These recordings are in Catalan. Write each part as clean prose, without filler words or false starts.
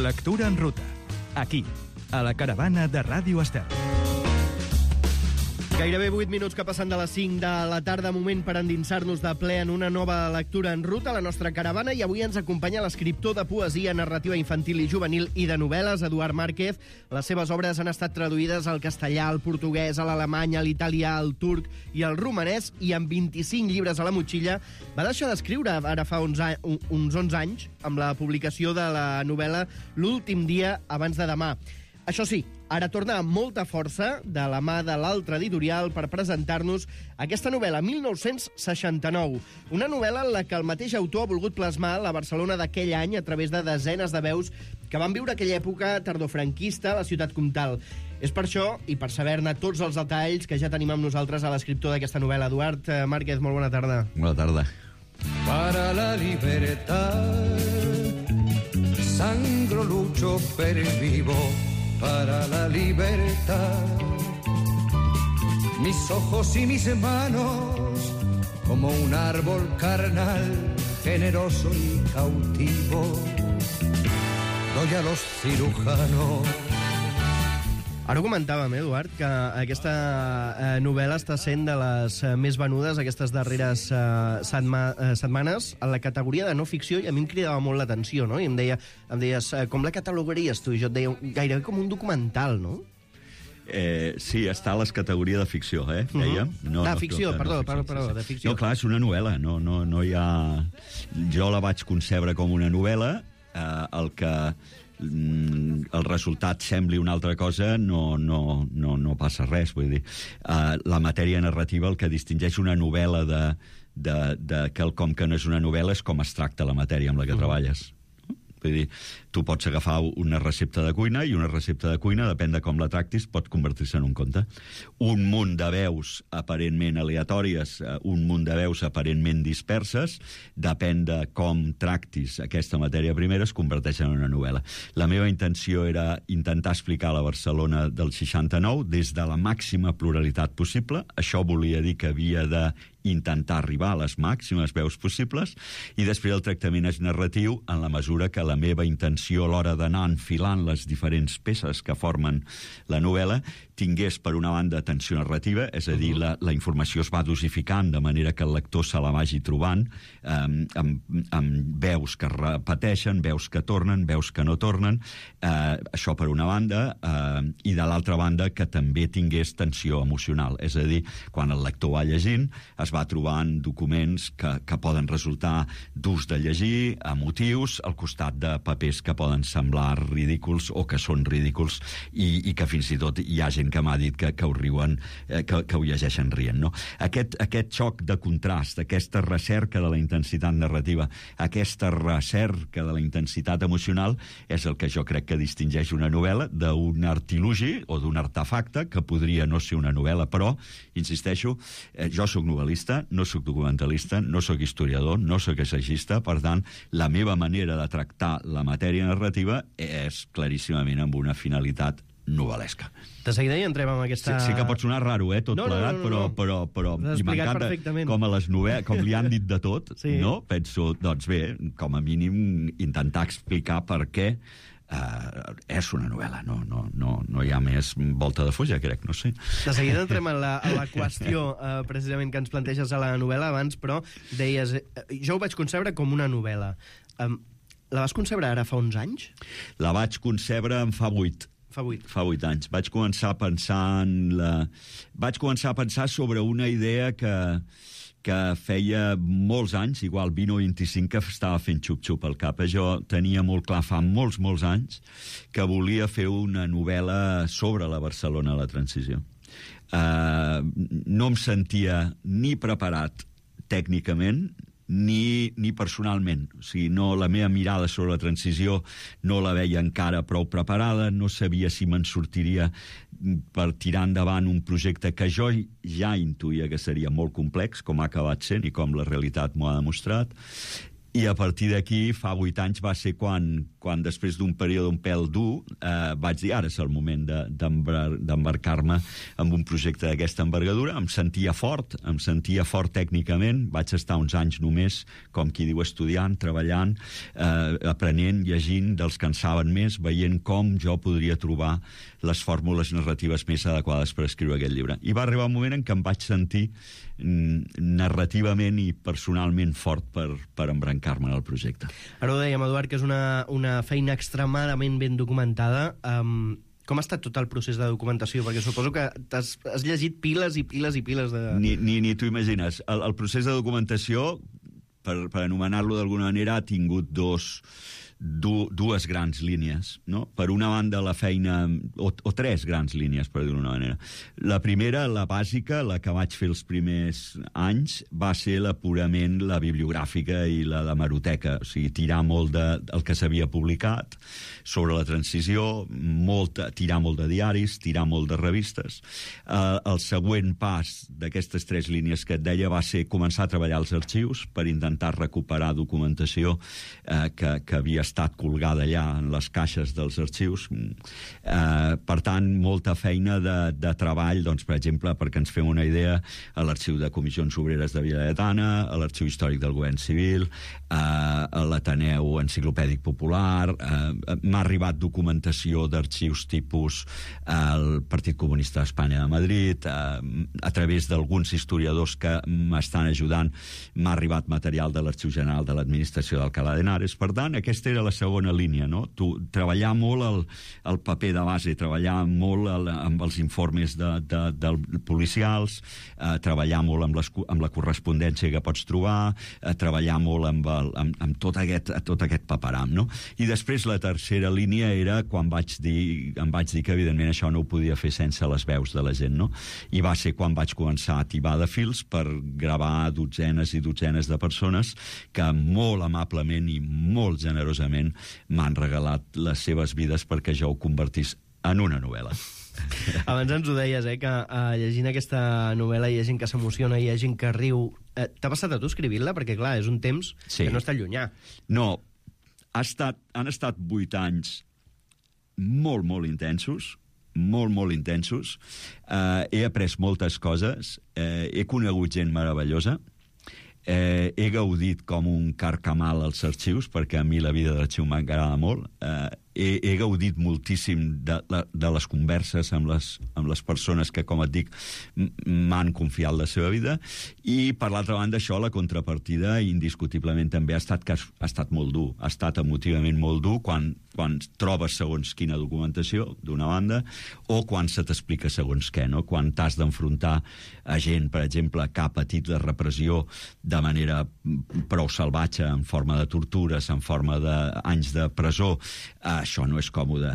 Lectura en ruta. Aquí, a la caravana de Ràdio Estel. Gairebé 8 minuts que passen de les 5 de la tarda, moment per endinsar-nos de ple en una nova lectura en ruta a la nostra caravana, i avui ens acompanya l'escriptor de poesia, narrativa infantil i juvenil i de novel·les, Eduard Márquez. Les seves obres han estat traduïdes al castellà, al portuguès, a l'alemany, a l'italià, al turc i al romanès, i amb 25 llibres a la motxilla va deixar d'escriure ara fa uns 11 anys amb la publicació de la novel·la L'últim dia abans de demà. Això sí, ara torna amb molta força de la mà de l'altre editorial per presentar-nos aquesta novel·la, 1969. Una novel·la en la que el mateix autor ha volgut plasmar la Barcelona d'aquell any a través de desenes de veus que van viure aquella època tardofranquista a la ciutat comtal. És per això, i per saber-ne tots els detalls, que ja tenim amb nosaltres a l'escriptor d'aquesta novel·la. Eduard Márquez, molt bona tarda. Bona tarda. Para la libertad sangro, lucho, pervivo para la libertad. Mis ojos y mis manos como un árbol carnal, generoso y cautivo, doy a los cirujanos. Ara ho comentàvem, Eduard, que aquesta novel·la està sent de les més venudes aquestes darreres setmanes en la categoria de no ficció, i a mi em cridava molt l'atenció, no? I em deies, com la catalogaries tu? I jo et deia, gairebé com un documental, no? Sí, està a les categories de ficció, dèiem. Ficció, perdó, de ficció. No, clar, és una novel·la, no hi ha... Jo la vaig concebre com una novel·la, el que el resultat sembli una altra cosa no passa res, vull dir. La matèria narrativa, el que distingeix una novel·la de quelcom que no és una novel·la és com es tracta la matèria amb la que treballes. Vull dir, tu pots agafar una recepta de cuina, i una recepta de cuina, depèn de com la tractis, pot convertir-se en un conte. Un munt de veus aparentment aleatòries, un munt de veus aparentment disperses, depèn de com tractis aquesta matèria primera, es converteix en una novel·la. La meva intenció era intentar explicar la Barcelona del 69 des de la màxima pluralitat possible. Això volia dir que havia de intentar arribar a les màximes veus possibles, i després el tractament és narratiu en la mesura que la meva intenció a l'hora d'anar enfilant les diferents peces que formen la novel·la tingués, per una banda, tensió narrativa, és a dir, la informació es va dosificant de manera que el lector se la vagi trobant amb veus que repeteixen, veus que tornen, veus que no tornen, això per una banda, i de l'altra banda que també tingués tensió emocional, és a dir, quan el lector va llegint es va trobant documents que poden resultar durs de llegir, emotius, al costat de papers que poden semblar ridículs o que són ridículs, i que fins i tot hi ha gent que m'ha dit que ho riuen, que ho llegeixen rient, no? Aquest xoc de contrast, aquesta recerca de la intensitat narrativa, aquesta recerca de la intensitat emocional, és el que jo crec que distingeix una novel·la d'un artilugi o d'un artefacte que podria no ser una novel·la, però, insisteixo, jo sóc novel·lista, no sóc documentalista, no sóc historiador, no sóc assagista, per tant, la meva manera de tractar la matèria narrativa és claríssimament amb una finalitat novel·lesca. De seguida hi entrem amb aquesta... Sí que pot sonar raro, tot plegat, però m'encanta com a les novel·les, com li han dit de tot, sí. No? Penso, doncs bé, com a mínim intentar explicar per què és una novel·la, no hi ha més volta de fulla, crec, no sé. De seguida entrem a la qüestió precisament que ens planteges a la novel·la. Abans, però, deies, jo ho vaig concebre com una novel·la. La vas concebre ara fa uns anys? La vaig concebre en fa 8. Fa 8 anys. Vaig començar a pensar sobre una idea que feia molts anys, igual 20 o 25, que estava fent xup-xup al cap. Jo tenia molt clar fa molts anys que volia fer una novel·la sobre la Barcelona a la transició. No em sentia ni preparat tècnicament ni personalment. O sigui, la meva mirada sobre la transició no la veia encara prou preparada, no sabia si me'n sortiria per tirar endavant un projecte que jo ja intuïa que seria molt complex, com ha acabat sent i com la realitat m'ho ha demostrat. I a partir d'aquí, fa 8 anys, va ser quan després d'un període un pèl dur, vaig dir, ara és el moment d'embarcar-me en un projecte d'aquesta envergadura. Em sentia fort tècnicament. Vaig estar uns anys només, com qui diu, estudiant, treballant, aprenent, llegint dels que en saben més, veient com jo podria trobar les fórmules narratives més adequades per escriure aquest llibre. I va arribar un moment en què em vaig sentir narrativament i personalment fort per embrancar-me en el projecte. Ara ho dèiem, Eduard, que és una feina extremadament ben documentada. Com ha estat tot el procés de documentació? Perquè suposo que has llegit piles i piles i piles de... Ni t'ho imagines. El procés de documentació, per anomenar-lo d'alguna manera, ha tingut dues grans línies, no? Per una banda, la feina... O tres grans línies, per dir-ho d'una manera. La primera, la bàsica, la que vaig fer els primers anys, va ser purament la bibliogràfica i la d'hemeroteca. O sigui, tirar molt del que s'havia publicat sobre la transició, tirar molt de diaris, tirar molt de revistes. El següent pas d'aquestes tres línies que et deia va ser començar a treballar als arxius per intentar recuperar documentació que havia estat colgada allà en les caixes dels arxius. Per tant, molta feina de treball, doncs, per exemple, perquè ens fem una idea, a l'Arxiu de Comissions Obreres de Vila Lletana, a l'Arxiu Històric del Govern Civil, a l'Ateneu Enciclopèdic Popular. M'ha arribat documentació d'arxius tipus el Partit Comunista d'Espanya de Madrid, a través d'alguns historiadors que m'estan ajudant, m'ha arribat material de l'Arxiu General de l'Administració d'Alcalá de Henares. Per tant, aquesta era la segona línia, no? Treballar molt el paper de base, treballar molt amb els informes policials, treballar molt amb la correspondència que pots trobar, treballar molt amb tot aquest paperam, no? I després la tercera línia era quan em vaig dir que evidentment això no ho podia fer sense les veus de la gent, no? I va ser quan vaig començar a tibar de fils per gravar dotzenes i dotzenes de persones que molt amablement i molt generosament m'han regalat les seves vides perquè jo ho convertís en una novel·la. Abans ens ho deies, que llegint aquesta novel·la hi ha gent que s'emociona, hi ha gent que riu. T'ha passat a tu escrivint-la? Perquè, clar, és un temps que no està llunyà. No, han estat 8 anys molt, molt intensos, molt intensos. He après moltes coses, he conegut gent meravellosa, he gaudit com un carcamal als arxius, perquè a mi la vida d'arxiu m'agrada molt. He gaudit moltíssim de les converses amb les persones que, com et dic, m'han confiat la seva vida. I, per l'altra banda, això, la contrapartida, indiscutiblement també ha estat molt dur. Ha estat emotivament molt dur quan trobes segons quina documentació, d'una banda, o quan se t'explica segons què, no? Quan t'has d'enfrontar a gent, per exemple, que ha patit la repressió de manera prou salvatge, en forma de tortures, en forma d'anys de presó. Això no és còmode.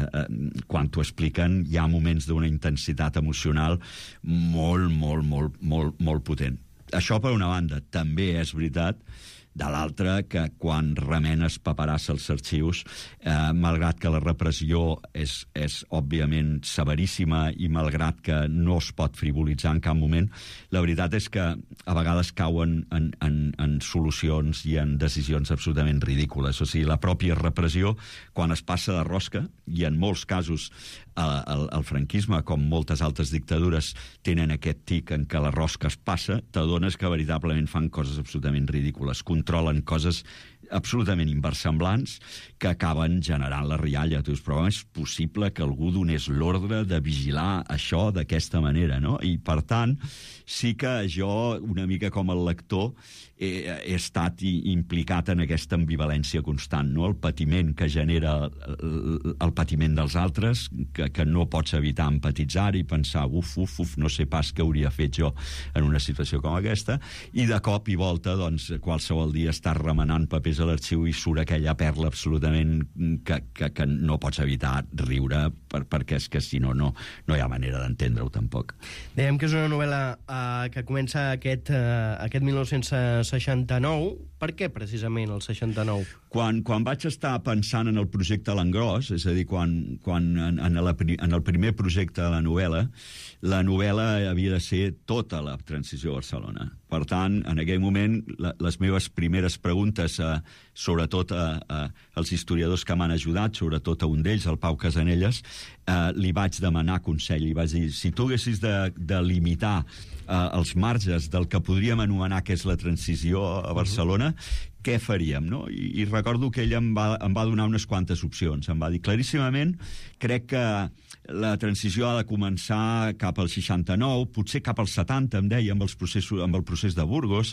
Quan t'ho expliquen, hi ha moments d'una intensitat emocional molt potent. Això per una banda. També és veritat, de l'altra, que quan remenes paperassa als arxius, malgrat que la repressió és òbviament severíssima i malgrat que no es pot frivolitzar en cap moment, la veritat és que a vegades cauen en solucions i en decisions absolutament ridícules. O sigui, la pròpia repressió, quan es passa de rosca, i en molts casos el franquisme, com moltes altres dictadures, tenen aquest tic en què la rosca es passa, t'adones que veritablement fan coses absolutament ridícules, controlen coses absolutament inversemblants que acaben generant la rialla. Tu dius, però és possible que algú donés l'ordre de vigilar això d'aquesta manera, no? I, per tant, sí que jo, una mica com el lector, he estat implicat en aquesta ambivalència constant, no? El patiment que genera el patiment dels altres, que no pots evitar empatitzar i pensar, no sé pas què hauria fet jo en una situació com aquesta, i de cop i volta, doncs, qualsevol dia estàs remenant papers a l'arxiu i surt aquella perla absolutament que no pots evitar riure, perquè és que si no hi ha manera d'entendre-ho tampoc. Dèiem que és una novel·la que comença aquest 1969, Per què, precisament, el 69? Quan vaig estar pensant en el projecte L'Engròs, és a dir, quan en el primer projecte de la novel·la havia de ser tota la transició a Barcelona. Per tant, en aquell moment, les meves primeres preguntes, sobretot als historiadors que m'han ajudat, sobretot a un d'ells, el Pau Casanelles, li vaig demanar consell. Li vaig dir, si tu haguessis de limitar els marges del que podríem anomenar que és la transició a Barcelona, què faríem, no? I recordo que ell em va donar unes quantes opcions. Em va dir claríssimament, crec que la transició ha de començar cap al 69, potser cap al 70, em deia, amb el procés de Burgos,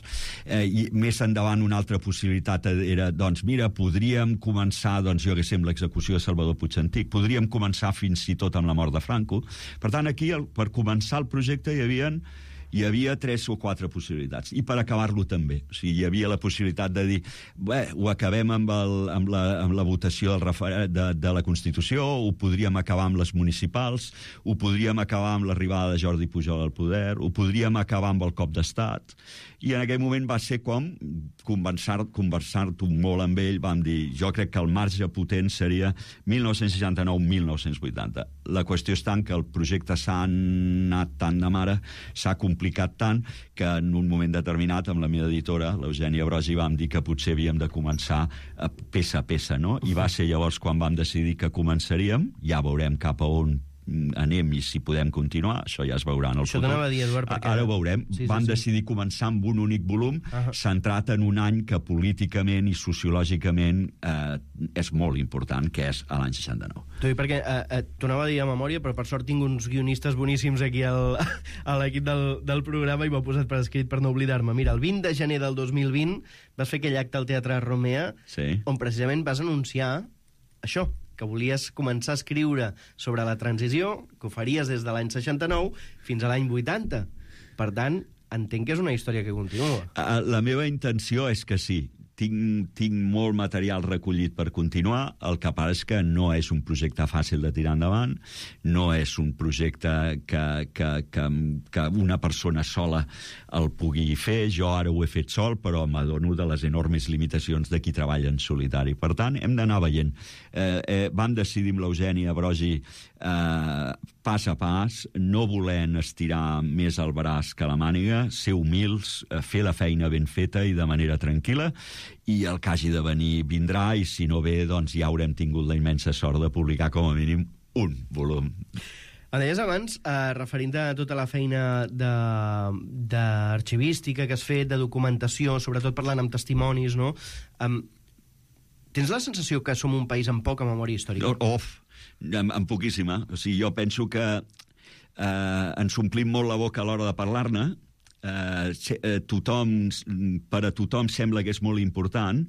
i més endavant una altra possibilitat era, doncs mira, podríem començar, doncs jo que sé, amb l'execució de Salvador Puig Antich, podríem començar fins i tot amb la mort de Franco. Per tant, aquí, per començar el projecte, hi havia 3 o 4 possibilitats, i per acabar-lo també. O sigui, hi havia la possibilitat de dir, bé, ho acabem amb la votació de la Constitució, ho podríem acabar amb les municipals, ho podríem acabar amb l'arribada de Jordi Pujol al poder, ho podríem acabar amb el cop d'estat, i en aquell moment va ser com conversar-ho molt amb ell, vam dir, jo crec que el marge potent seria 1969-1980. La qüestió és tant que el projecte s'ha anat tant de mare, s'ha complicat tant, que en un moment determinat, amb la meva editora, l'Eugènia Brogi, vam dir que potser havíem de començar peça a peça, no? I va ser llavors quan vam decidir que començaríem, ja veurem cap a on anem i si podem continuar, això ja es veurà en el futur. Això t'anava a dir, Eduard, perquè... Ara ho veurem. Vam decidir començar amb un únic volum, centrat en un any que políticament i sociològicament és molt important, que és l'any 69. T'ho dic perquè t'ho anava a dir a memòria, però per sort tinc uns guionistes boníssims aquí a l'equip del programa i m'ho he posat per escrit per no oblidar-me. Mira, el 20 de gener del 2020 vas fer aquell acte al Teatre Romea, on precisament vas anunciar això, que volies començar a escriure sobre la transició, que ho faries des de l'any 69 fins a l'any 80. Per tant, entenc que és una història que continua. La meva intenció és que sí. Tinc molt material recollit per continuar, el que passa és que no és un projecte fàcil de tirar endavant, no és un projecte que una persona sola el pugui fer. Jo ara ho he fet sol, però m'adono de les enormes limitacions de qui treballa en solitari. Per tant, hem d'anar veient. Vam decidir amb l'Eugènia Brogi pas a pas, no volent estirar més el braç que la màniga, ser humils, fer la feina ben feta i de manera tranquil·la, i el que hagi de venir vindrà, i si no ve, doncs ja haurem tingut la immensa sort de publicar com a mínim un volum. Em deies abans, referint a tota la feina d'arxivística que has fet, de documentació, sobretot parlant amb testimonis, no? Tens la sensació que som un país amb poca memòria històrica? Amb poquíssima. O sigui, jo penso que ens omplim molt la boca a l'hora de parlar-ne. Per a tothom sembla que és molt important,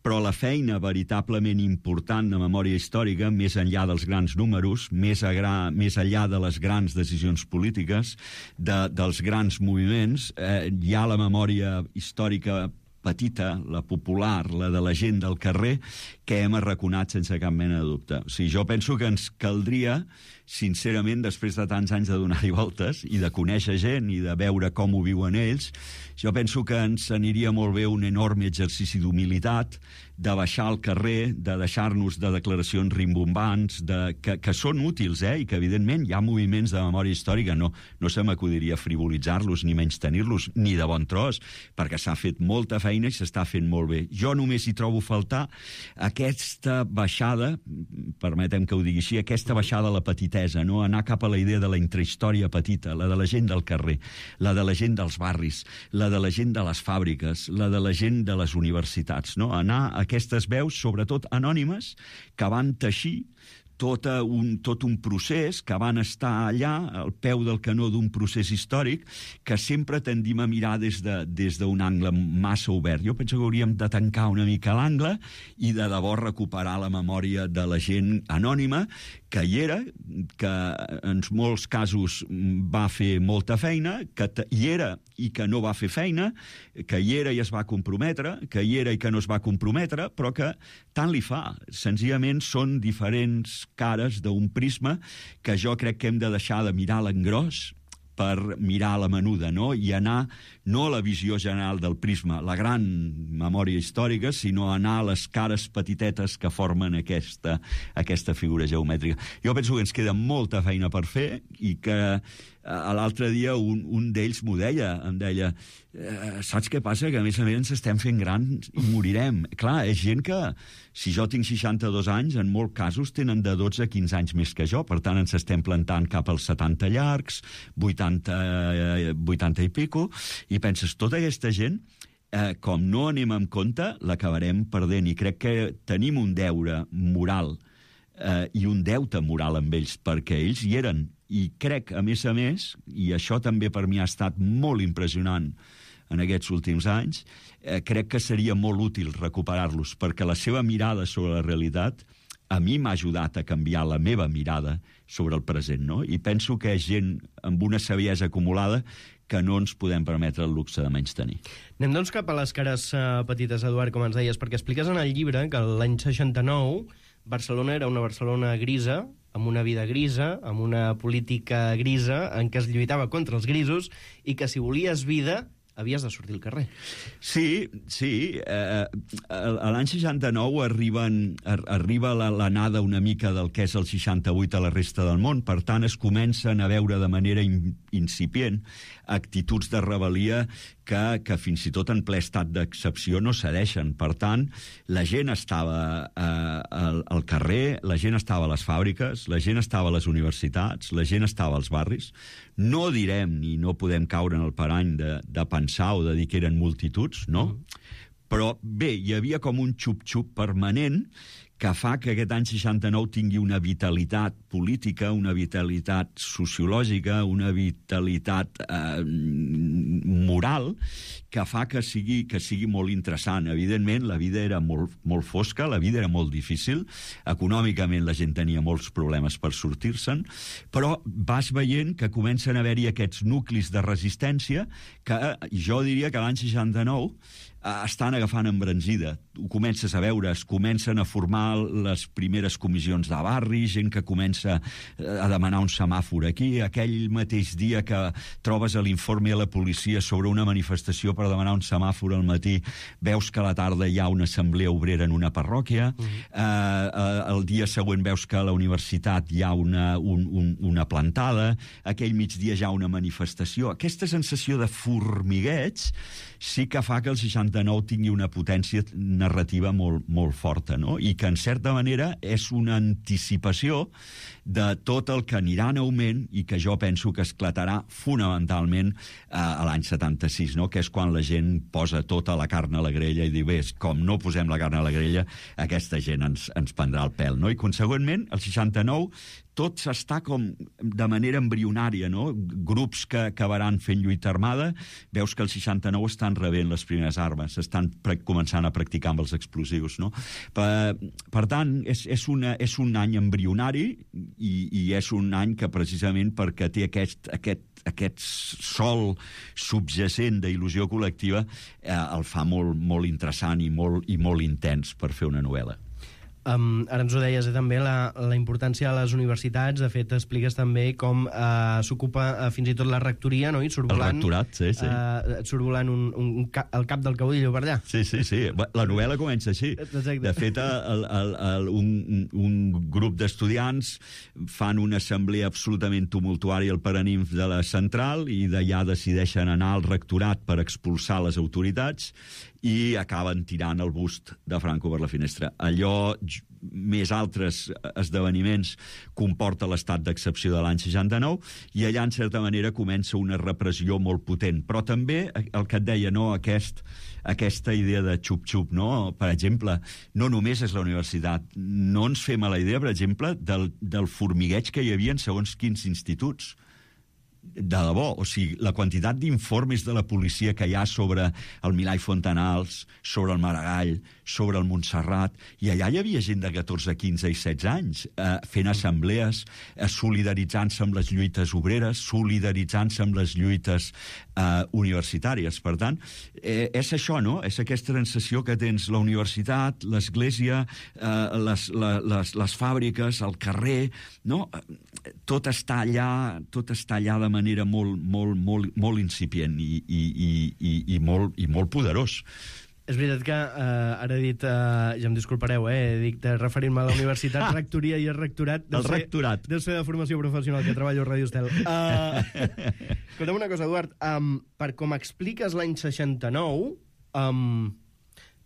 però la feina veritablement important de memòria històrica, més enllà dels grans números, més enllà de les grans decisions polítiques, dels grans moviments, hi ha la memòria històrica petita, la popular, la de la gent del carrer, que hem arraconat sense cap mena de dubte. O sigui, jo penso que ens caldria, sincerament, després de tants anys de donar-hi voltes i de conèixer gent i de veure com ho viuen ells, jo penso que ens aniria molt bé un enorme exercici d'humilitat, de baixar al carrer, de deixar-nos de declaracions rimbombants, que són útils, i que, evidentment, hi ha moviments de memòria històrica, no se m'acudiria frivolitzar-los ni menystenir-los, ni de bon tros, perquè s'ha fet molta feina i s'està fent molt bé. Jo només hi trobo faltar aquesta baixada, permetem que ho digui així, aquesta baixada a la petitesa, no? Anar cap a la idea de la intrahistòria petita, la de la gent del carrer, la de la gent dels barris, la de la gent de les fàbriques, la de la gent de les universitats, no? Anar a aquestes veus, sobretot anònimes, que van teixir tot un procés, que van estar allà al peu del canó d'un procés històric que sempre tendim a mirar des d'un angle massa obert. Jo penso que hauríem de tancar una mica l'angle i de debò recuperar la memòria de la gent anònima que hi era, que en molts casos va fer molta feina, que hi era i que no va fer feina, que hi era i es va comprometre, que hi era i que no es va comprometre, però que tant li fa. Senzillament són diferents cares d'un prisma que jo crec que hem de deixar de mirar l'engròs per mirar la menuda, no? I anar no la visió general del prisma, la gran memòria històrica, sinó anar a les cares petitetes que formen aquesta figura geomètrica. Jo penso que ens queda molta feina per fer i que l'altre dia un d'ells em deia saps què passa? Que a més ens estem fent grans i morirem. Clar, és gent que, si jo tinc 62 anys, en molts casos tenen de 12 a 15 anys més que jo, per tant ens estem plantant cap als 70 llargs, 80 i pico, i penses, tota aquesta gent, com no anem amb compte, l'acabarem perdent, i crec que tenim un deure moral i un deute moral amb ells, perquè ells hi eren, i crec, a més, i això també per mi ha estat molt impressionant en aquests últims anys, crec que seria molt útil recuperar-los, perquè la seva mirada sobre la realitat a mi m'ha ajudat a canviar la meva mirada sobre el present, no? I penso que és gent amb una saviesa acumulada que no ens podem permetre el luxe de menys tenir. Anem doncs cap a les cares petites, Eduard, com ens deies, perquè expliques en el llibre que l'any 69 Barcelona era una Barcelona grisa, amb una vida grisa, amb una política grisa, en què es lluitava contra els grisos, i que si volies vida havies de sortir al carrer. Sí. L'any 69 arriba l'anada una mica del que és el 68 a la resta del món, per tant es comencen a veure de manera incipient actituds de rebel·lia que fins i tot en ple estat d'excepció no cedeixen. Per tant, la gent estava al carrer, la gent estava a les fàbriques, la gent estava a les universitats, la gent estava als barris. No direm ni no podem caure en el parany de pensar o de dir que eren multituds, no? Però bé, hi havia com un xup-xup permanent que fa que aquest any 69 tingui una vitalitat política, una vitalitat sociològica, una vitalitat moral, que fa que sigui molt interessant. Evidentment, la vida era molt fosca, la vida era molt difícil, econòmicament la gent tenia molts problemes per sortir-se'n, però vas veient que comencen a haver-hi aquests nuclis de resistència que jo diria que l'any 69 estan agafant embranzida. Ho comences a veure, es comencen a formar les primeres comissions de barri, gent que comença a demanar un semàfor aquí, aquell mateix dia que trobes a l'informe a la policia sobre una manifestació per demanar un semàfor al matí, veus que a la tarda hi ha una assemblea obrera en una parròquia, el dia següent veus que a la universitat hi ha una plantada, aquell migdia hi ha una manifestació. Aquesta sensació de formigueig sí que fa que el 69 tingui una potència narrativa molt forta, no? I que, en certa manera, és una anticipació de tot el que anirà en augment i que jo penso que esclatarà fonamentalment a l'any 76, no? Que és quan la gent posa tota la carn a la grella i diu, bé, com no posem la carn a la grella, aquesta gent ens prendrà el pèl, no? I, consegüentment, el 69 tot s'està com de manera embrionària, no? Grups que acabaran fent lluita armada, veus que el 69 estan rebent les primeres armes, estan començant a practicar amb els explosius, no? Per tant, és un any embrionari i és un any que precisament perquè té aquest sol subjacent d'il·lusió col·lectiva el fa molt interessant i molt intens per fer una novel·la. Ara ens ho deies també, la importància de les universitats. De fet, expliques també com s'ocupa fins i tot la rectoria, no? I surt volant, el rectorat, sí. Surt volant el cap del caudillo per allà. Sí. La novel·la comença així. Exacte. De fet, un grup d'estudiants fan una assemblea absolutament tumultuària al Paranimf de la central i d'allà decideixen anar al rectorat per expulsar les autoritats i acaben tirant el bust de Franco per la finestra. Allò, més altres esdeveniments, comporta l'estat d'excepció de l'any 69 i allà, en certa manera, comença una repressió molt potent. Però també, el que et deia, no, aquesta idea de xup-xup, no? Per exemple, no només és la universitat. No ens fem a la idea, per exemple, del formigueig que hi havia en segons quins instituts. De debò, o sigui, la quantitat d'informes de la policia que hi ha sobre el Milà i Fontanals, sobre el Maragall, sobre el Montserrat, i allà hi havia gent de 14, 15 i 16 anys fent assemblees, solidaritzant-se amb les lluites obreres, solidaritzant-se amb les lluites universitàries. Per tant, és això, no? És aquesta sensació que tens la universitat, l'església, les fàbriques, el carrer, no? Tot està allà de manera molt incipient i molt poderós. És veritat que ara he dit, ja em disculpareu, dic de referir-me a la universitat, rectoria i el rectorat. El rectorat. Deu ser de formació professional, que treballo a Ràdio Estel. Escolta'm una cosa, Eduard, per com expliques l'any 69,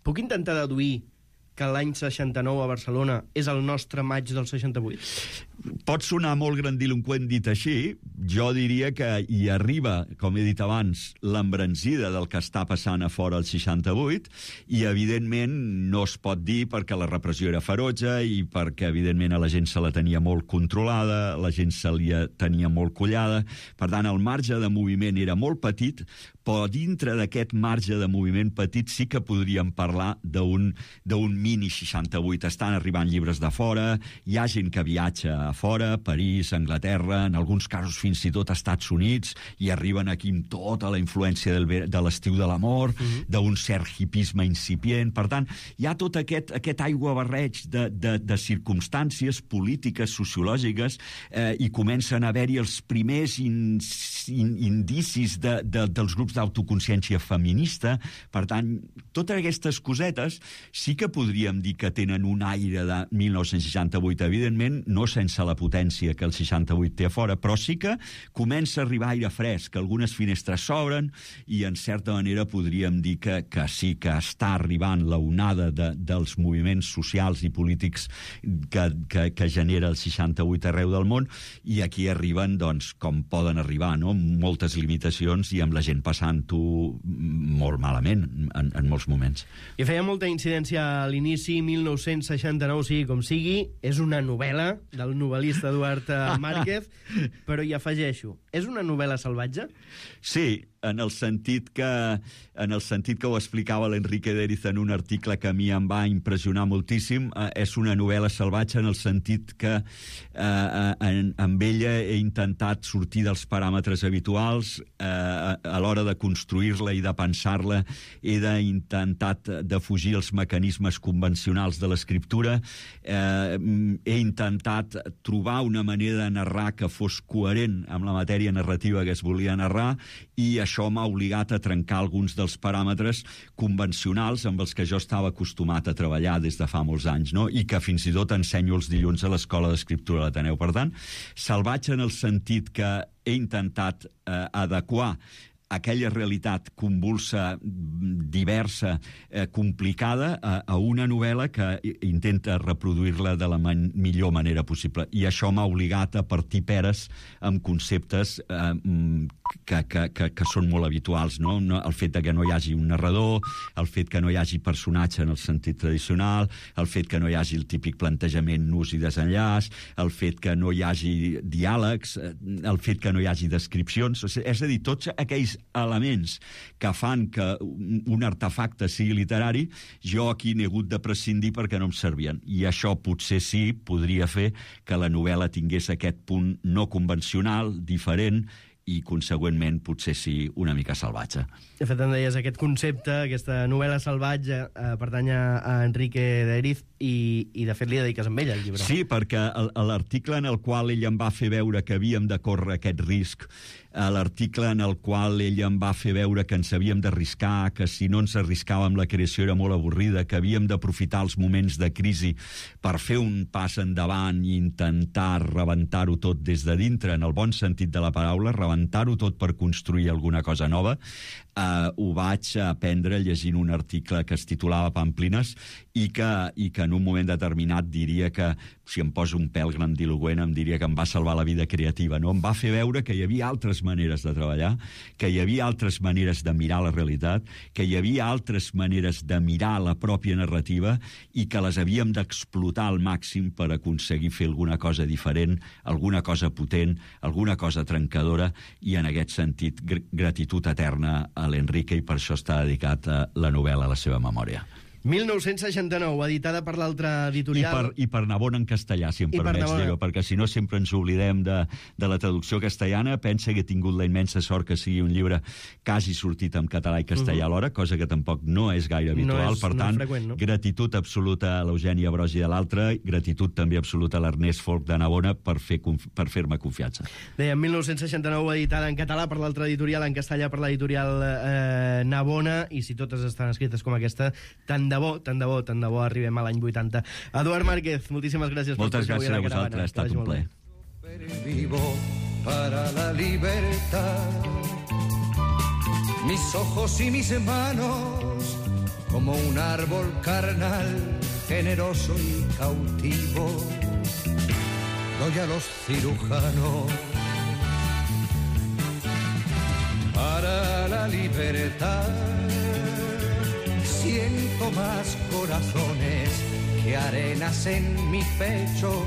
puc intentar deduir que l'any 69 a Barcelona és el nostre maig del 68? Pot sonar molt grandiloqüent dit així. Jo diria que hi arriba, com he dit abans, l'embranzida del que està passant a fora el 68 i, evidentment, no es pot dir perquè la repressió era ferotge i perquè, evidentment, a la gent se la tenia molt controlada, la gent se li tenia molt collada. Per tant, el marge de moviment era molt petit, però dintre d'aquest marge de moviment petit sí que podríem parlar d'un mini 68. Estan arribant llibres de fora, hi ha gent que viatja a fora, París, Anglaterra, en alguns casos fins i tot a Estats Units, i arriben aquí amb tota la influència de l'estiu de l'amor, d'un cert hipisme incipient. Per tant, hi ha tot aquest aiguabarreig de circumstàncies polítiques, sociològiques, i comencen a haver-hi els primers indicis dels grups d'autoconsciència feminista. Per tant, totes aquestes cosetes sí que podríem dir que tenen un aire de 1968, evidentment, no sense la potència que el 68 té a fora, però sí que comença a arribar aire fresc, que algunes finestres s'obren i, en certa manera, podríem dir que sí que està arribant la onada dels moviments socials i polítics que genera el 68 arreu del món, i aquí arriben, doncs, com poden arribar, no? Moltes limitacions i amb la gent passant-ho molt malament en molts moments. I feia molta incidència a l'inici, 1969, sigui com sigui, és una novel·la del novel·lista Eduard Márquez, però hi afegeixo, és una novel·la salvatge? Sí, en el sentit que ho explicava l'Enrique Deriz en un article que a mi em va impressionar moltíssim. És una novel·la salvatge en el sentit que amb ella he intentat sortir dels paràmetres habituals. A l'hora de construir-la i de pensar-la he intentat defugir els mecanismes convencionals de l'escriptura. He intentat trobar una manera de narrar que fos coherent amb la matèria narrativa que es volia narrar, i això m'ha obligat a trencar alguns dels paràmetres convencionals amb els que jo estava acostumat a treballar des de fa molts anys, no? I que fins i tot ensenyo els dilluns a l'Escola d'Escriptura de l'Ateneu. Per tant, salvatge en el sentit que he intentat adequar aquella realitat convulsa, diversa, complicada, a una novel·la que intenta reproduir-la de la millor manera possible. I això m'ha obligat a partir peres amb conceptes que són molt habituals, no? El fet que no hi hagi un narrador, el fet que no hi hagi personatge en el sentit tradicional, el fet que no hi hagi el típic plantejament nus i desenllaç, el fet que no hi hagi diàlegs, el fet que no hi hagi descripcions. És a dir, tots aquells elements que fan que un artefacte sigui literari, jo aquí n'he hagut de prescindir perquè no em servien. I això potser sí podria fer que la novel·la tingués aquest punt no convencional, diferent, i, consegüentment, potser sí una mica salvatge. De fet, em deies, aquest concepte, aquesta novel·la salvatge, pertany a Enrique Deriz, i de fet li dediques amb ell, el llibre. Sí, perquè l'article en el qual ell em va fer veure que havíem de córrer aquest risc, l'article en el qual ell em va fer veure que ens havíem d'arriscar, que si no ens arriscàvem la creació era molt avorrida, que havíem d'aprofitar els moments de crisi per fer un pas endavant i intentar rebentar-ho tot des de dintre, en el bon sentit de la paraula, rebentar-ho tot per construir alguna cosa nova. Ho vaig aprendre llegint un article que es titulava Pamplines i que en un moment determinat diria que, si em poso un pèl grandiloqüent, em diria que em va salvar la vida creativa, no? Em va fer veure que hi havia altres maneres de treballar, que hi havia altres maneres de mirar la realitat, que hi havia altres maneres de mirar la pròpia narrativa i que les havíem d'explotar al màxim per aconseguir fer alguna cosa diferent, alguna cosa potent, alguna cosa trencadora, i en aquest sentit gratitud eterna a l'Enrique, i per això està dedicat a la novel·la a la seva memòria. 1969, editada per l'altre editorial. I per Navona en castellà, si em permets dir-ho, perquè si no sempre ens oblidem de la traducció castellana. Pensa que he tingut la immensa sort que sigui un llibre quasi sortit en català i castellà alhora, cosa que tampoc no és gaire habitual. Per tant, gratitud absoluta a l'Eugènia Brogi de l'altre, gratitud també absoluta a l'Ernest Folch de Navona per fer-me confiança. Deia, 1969, editada en català per l'altre editorial, en castellà per l'editorial Navona, i si totes estan escrites com aquesta, tant de bo arribem a l'any 80. Eduard Márquez, moltíssimes gràcies. Moltes gràcies a vosaltres, ha estat un plaer. Vivo para la libertad. Mis ojos y mis manos como un árbol carnal, generoso y cautivo. Doy a los cirujanos para la libertad. Siento más corazones que arenas en mi pecho.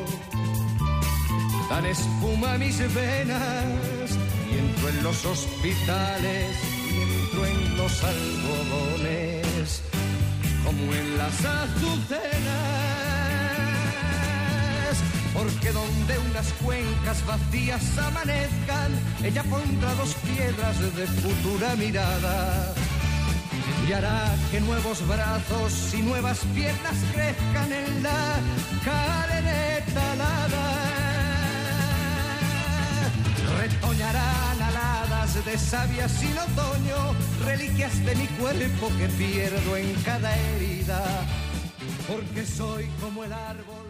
Dan espuma mis venas y entro en los hospitales y entro en los algodones como en las azucenas. Porque donde unas cuencas vacías amanezcan, ella pondrá dos piedras de futura mirada y hará que nuevos brazos y nuevas piernas crezcan en la carne talada. Retoñarán aladas de savia sin otoño, reliquias de mi cuerpo que pierdo en cada herida, porque soy como el árbol.